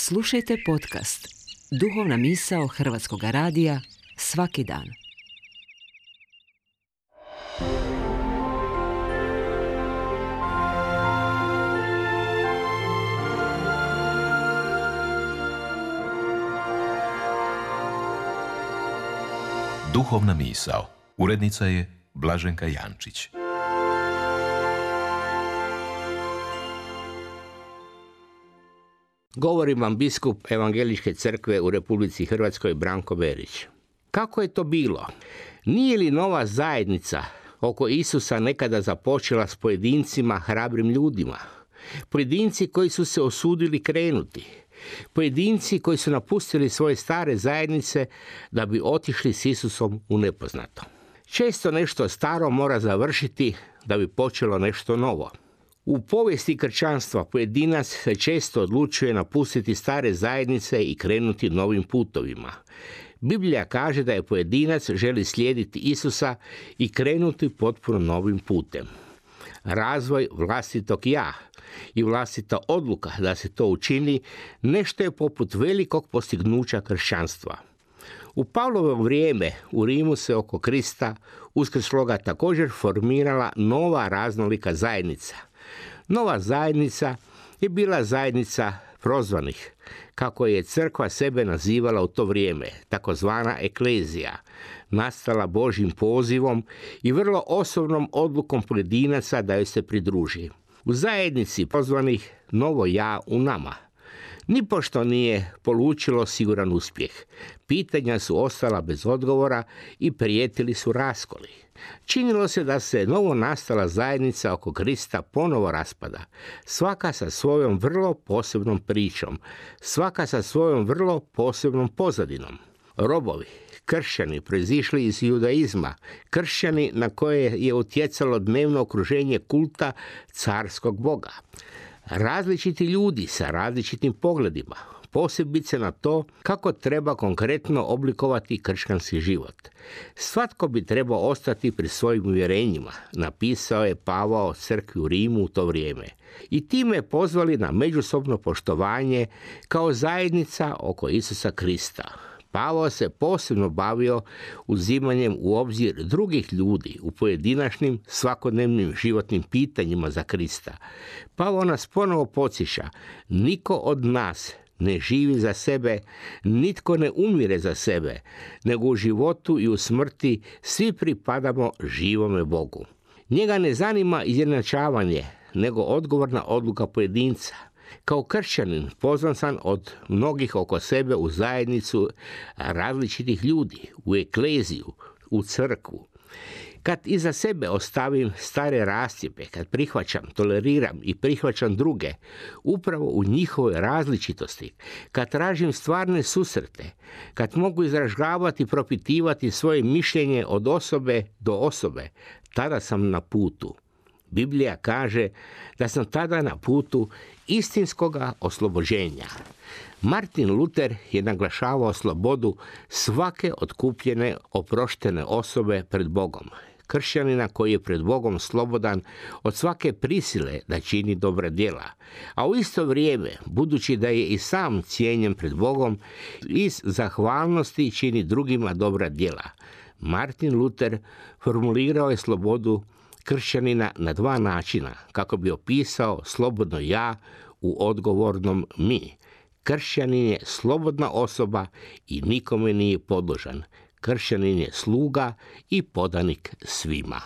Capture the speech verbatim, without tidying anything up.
Slušajte podcast Duhovna misao Hrvatskog radija svaki dan. Duhovna misao. Urednica je Blaženka Jančić. Govori vam biskup Evangeličke crkve u Republici Hrvatskoj Branko Berić. Kako je to bilo? Nije li nova zajednica oko Isusa nekada započela s pojedincima, hrabrim ljudima? Pojedinci koji su se osudili krenuti. Pojedinci koji su napustili svoje stare zajednice da bi otišli s Isusom u nepoznato. Često nešto staro mora završiti da bi počelo nešto novo. U povijesti kršćanstva pojedinac se često odlučuje napustiti stare zajednice i krenuti novim putovima. Biblija kaže da je pojedinac želi slijediti Isusa i krenuti potpuno novim putem. Razvoj vlastitog ja i vlastita odluka da se to učini nešto je poput velikog postignuća kršćanstva. U Pavlovo vrijeme u Rimu se oko Krista uskrsloga također formirala nova raznolika zajednica. Nova zajednica je bila zajednica prozvanih, kako je crkva sebe nazivala u to vrijeme, takozvana eklezija, nastala Božjim pozivom i vrlo osobnom odlukom pojedinaca da joj se pridruži. U zajednici prozvanih novo ja u nama. Nipošto nije polučilo siguran uspjeh. Pitanja su ostala bez odgovora i prijetili su raskoli. Činilo se da se novo nastala zajednica oko Krista ponovo raspada, svaka sa svojom vrlo posebnom pričom, svaka sa svojom vrlo posebnom pozadinom. Robovi, kršćani proizišli iz judaizma, kršćani na koje je utjecalo dnevno okruženje kulta carskog boga. Različiti ljudi sa različitim pogledima, posebice na to kako treba konkretno oblikovati kršćanski život. Svatko bi trebao ostati pri svojim uvjerenjima, napisao je Pavao crkvi u Rimu u to vrijeme. I time pozvali na međusobno poštovanje kao zajednica oko Isusa Krista. Pavao se posebno bavio uzimanjem u obzir drugih ljudi u pojedinačnim svakodnevnim životnim pitanjima za Krista. Pavao nas ponovo podsjeća, niko od nas ne živi za sebe, nitko ne umire za sebe, nego u životu i u smrti svi pripadamo živome Bogu. Njega ne zanima izjednačavanje, nego odgovorna odluka pojedinca. Kao kršćanin pozvan sam od mnogih oko sebe u zajednicu različitih ljudi, u ekleziju, u crkvu. Kad iza sebe ostavim stare rascjepe, kad prihvaćam, toleriram i prihvaćam druge, upravo u njihovoj različitosti, kad tražim stvarne susrete, kad mogu izražavati, propitivati svoje mišljenje od osobe do osobe, tada sam na putu. Biblija kaže da sam tada na putu istinskoga oslobođenja. Martin Luther je naglašavao slobodu svake otkupljene, oproštene osobe pred Bogom. Kršćanina koji je pred Bogom slobodan od svake prisile da čini dobra djela, a u isto vrijeme, budući da je i sam cijenjen pred Bogom, iz zahvalnosti čini drugima dobra djela. Martin Luther formulirao je slobodu kršćanina na dva načina, kako bi opisao slobodno ja u odgovornom mi. Kršćanin je slobodna osoba i nikome nije podložan. Kršćanin je sluga i podanik svima.